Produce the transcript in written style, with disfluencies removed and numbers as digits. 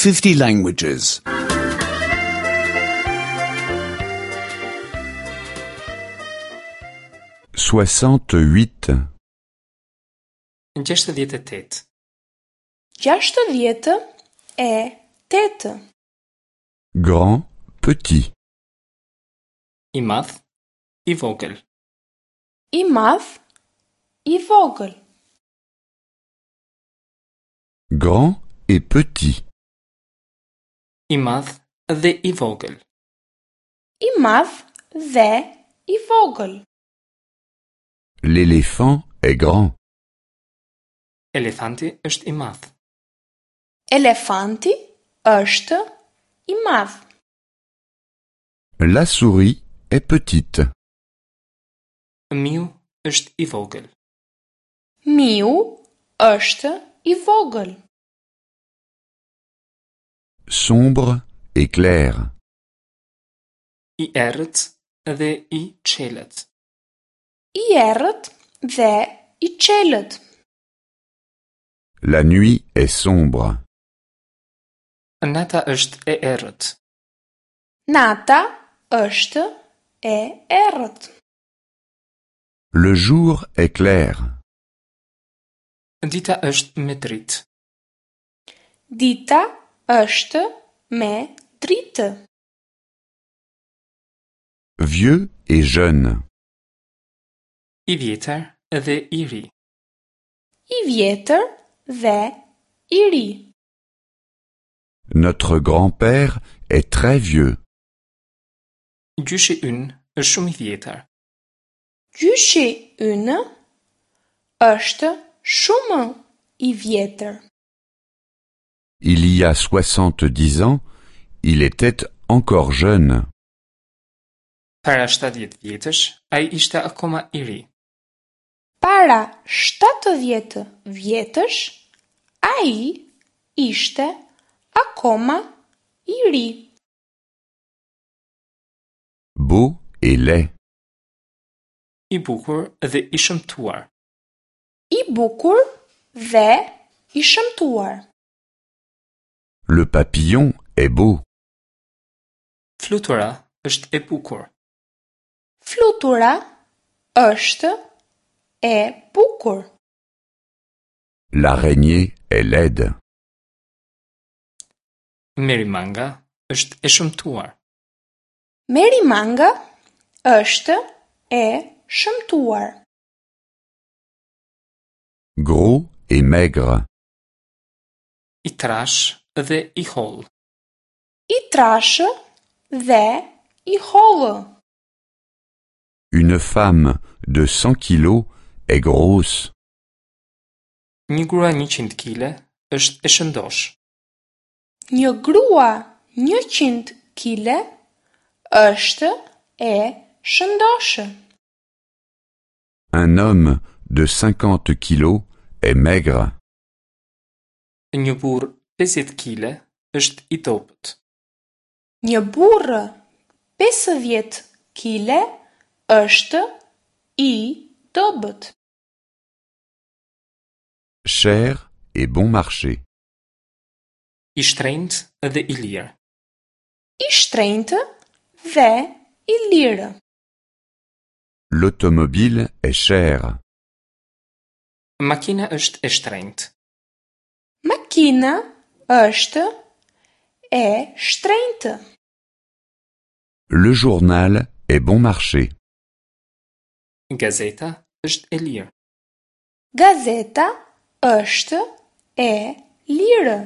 50 languages. 68. 68. 68. Grand, petit. I madh, i vogël. I madh, i vogël. Grand et petit. I madh dhe i vogël. I madh dhe i vogël. L'éléphant est grand. Elefanti është i madh. Elefanti është i madh. La souris est petite. Miu është i vogël. Miu është i vogël. Sombre et clair. I errët dhe i çelët. I errët dhe i çelët. La nuit est sombre. Nata është e errët. Nata është e errët. Le jour est clair. Dita është me dritë. Dita është me dritë. Vieux et jeune. I vjetër dhe i ri. I vjetër dhe i ri. Notre grand-père est très vieux. Gjyshi ynë është shumë i vjetër. Gjyshi ynë është shumë i vjetër. Il y a 70 ans, il était encore jeune. Para 70 vjetësh, ai ishte akoma i ri. Para 70 vjetësh, ai ishte akoma i ri. Beau et laid. I bukur dhe i shëmtuar. I bukur dhe i shëmtuar. Le papillon est beau. Flutura është e bukur. Flutura është e bukur. L'araignée est laide. Merimanga është e shëmtuar. Merimanga është e shëmtuar. Gros et maigre. I trashë dhe i hollë. I trashë dhe i hollë. Une femme de 100 kilos est grosse. Një grua 100 kile është e shëndoshë. Një grua 100 kile është e shëndoshë. Un homme de 50 kilos est maigre. Një burrë 50 kile është i dobët. Një burrë 50 kile është i dobët. Cher et bon marché. I shtrenjtë dhe i lirë. I shtrenjtë dhe i lirë. L'automobile est chère. Makina është e shtrenjtë. Makina është e shtrenjtë. Le journal est bon marché. Gazeta është e lirë. Gazeta është e lirë.